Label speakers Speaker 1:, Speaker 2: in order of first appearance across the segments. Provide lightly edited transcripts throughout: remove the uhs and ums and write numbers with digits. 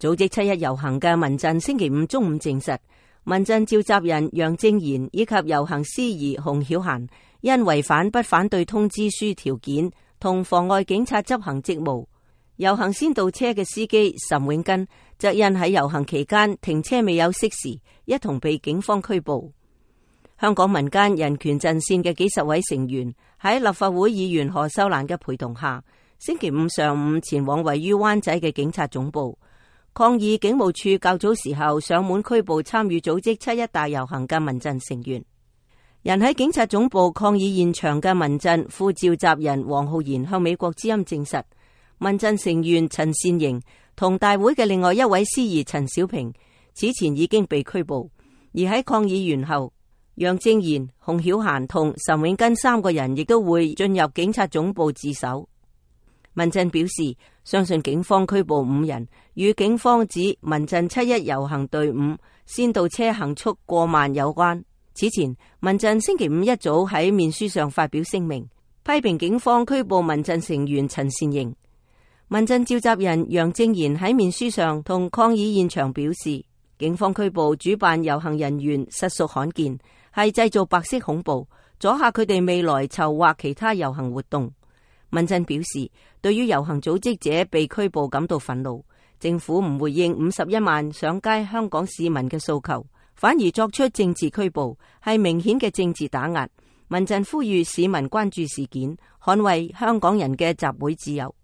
Speaker 1: 組織七一遊行嘅民陣星期五中午證實，民陣召集人楊正賢以及遊行司儀洪曉嫻因違反不反對通知書條件同妨礙警察執行職務。遊行先導車嘅司機岑永根則因喺遊行期間停車未有熄匙，一同被警方拘捕。香港民間人權陣線嘅幾十位成員喺立法會議員何秀蘭嘅陪同下，星期五上午前往位於灣仔嘅警察總部，抗議警務處較早時候上門拘捕參與組織七一大遊行嘅民陣成員。人喺警察總部抗議現場嘅民陣副召集人黃浩然向美國之音證實，民陣成員陳善瑩同大會嘅另外一位司儀陳小平此前已經被拘捕，而喺抗議完後，楊正賢、洪曉嫻同岑永根三個人亦都會進入警察總部自首。民陣表示，相信警方拘捕5人與警方指民陣七一遊行隊伍先導車行速過慢有關。此前，民陣星期五一早喺面書上發表聲明，批評警方拘捕民陣成員陳善瑩。民陣召集人楊正賢喺面書上同抗議現場表示，警方拘捕主辦遊行人員實屬罕見，係製造白色恐怖，阻嚇佢哋未來籌劃其他遊行活動。民陣表示，對於遊行組織者被拘捕感到憤怒，政府唔回應51萬上街香港市民嘅訴求，反而作出政治拘捕，係明顯嘅政治打壓。民陣呼籲市民關注事件，捍衛香港人嘅集會自由。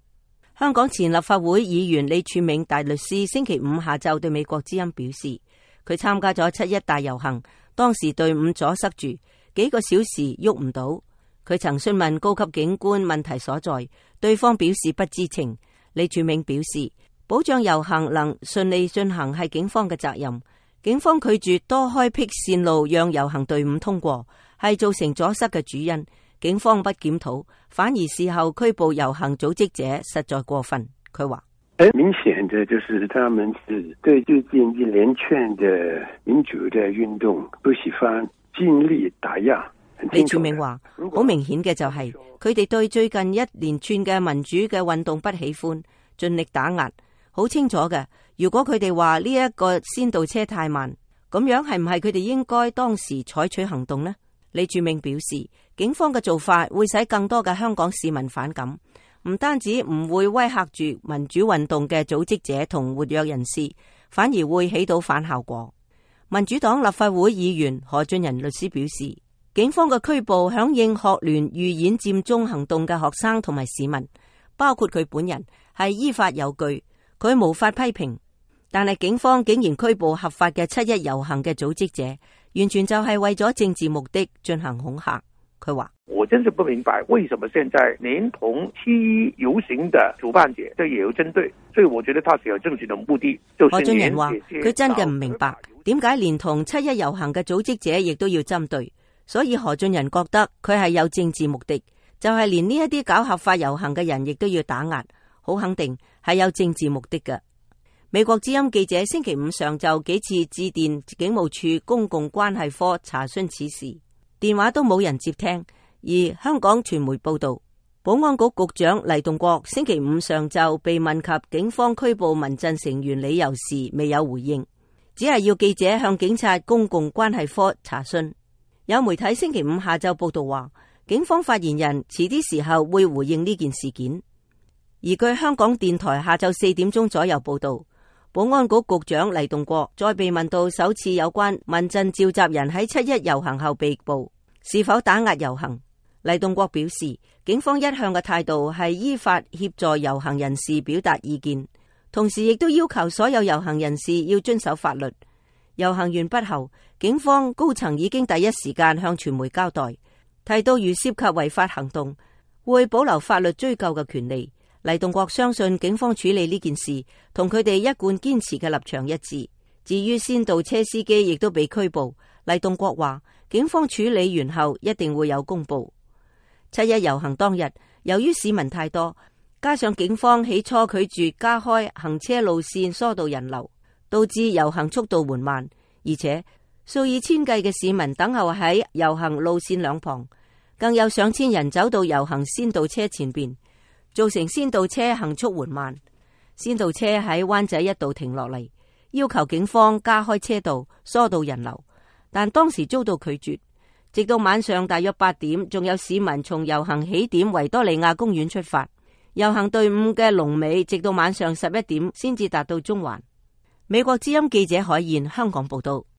Speaker 1: 香港前立法會議員李柱銘大律師星期五下晝對美國之音表示，佢參加咗七一大遊行，當時隊伍阻塞住，幾個小時喐唔到。佢曾詢問高級警官問題所在，對方表示不知情。李柱銘表示，保障遊行能順利進行係警方嘅責任，警方拒絕多開闢線路讓遊行隊伍通過，係造成阻塞嘅主因。警方不檢討，反而事後拘捕遊行組織者，實在過分。佢話：
Speaker 2: 明顯的就是他們是對最近一連串的民主的運動不喜歡，盡力打壓。
Speaker 1: 李柱銘話：好明顯嘅就係佢哋對最近一連串嘅民主嘅運動不喜歡，盡力打壓。好清楚嘅，如果佢哋話呢一個先導車太慢，咁樣係唔係佢哋應該當時採取行動呢？李柱銘表示，警方嘅做法會使更多嘅香港市民反感，唔單止唔會威嚇住民主運動嘅組織者同活躍人士，反而會起到反效果。民主黨立法會議員何俊仁律師表示，警方嘅拘捕響應學聯預演佔中行動嘅學生同埋市民，包括佢本人，係依法有據，佢無法批評。但係警方竟然拘捕合法嘅七一遊行嘅組織者，完全就係為咗政治目的進行恐嚇。佢話：
Speaker 3: 我真是不明白，為什麼現在連同七一遊行的主辦者都也有針對，所以我覺得他是有政治的目的。
Speaker 1: 何俊仁話：佢真嘅唔明白，點解連同七一遊行嘅組織者亦都要針對？所以何俊仁覺得佢係有政治目的，就係連呢一啲搞合法遊行嘅人亦都要打壓，好肯定係有政治目的嘅。美國之音記者星期五上晝幾次致電警務處公共關係科查詢此事，電話都冇人接聽。而香港傳媒報道，保安局局長黎棟國星期五上晝被問及警方拘捕民陣成員理由時，未有回應，只係要記者向警察公共關係科查詢。有媒體星期五下晝報道話，警方發言人遲啲時候會回應呢件事件。而據香港電台下晝4點鐘左右報道，保安局局長黎棟國再被問到首次有關民陣召集人喺七一遊行後被捕，是否打壓遊行。黎棟國表示，警方一向嘅態度係依法協助遊行人士表達意見，同時亦都要求所有遊行人士要遵守法律。遊行完畢後，警方高層已經第一時間向傳媒交代，提到如涉及違法行動，會保留法律追究嘅權利。黎棟國相信警方處理呢件事同佢哋一貫堅持嘅立場一致。至於先導車司機亦都被拘捕，黎棟國話警方處理完後一定會有公布。七一遊行當日，由於市民太多，加上警方起初拒絕加開行車路線疏導人流，導致遊行速度緩慢，而且數以千計嘅市民等候喺遊行路線兩旁，更有上千人走到遊行先導車前邊，造成先導車行速緩慢。先導車喺灣仔一度停落嚟，要求警方加開車道疏導人流，但當時遭到拒絕。直到晚上大約8點，仲有市民從遊行起點維多利亞公園出發，遊行隊伍嘅龍尾直到晚上11點先至達到中環。美國之音記者海燕香港報道。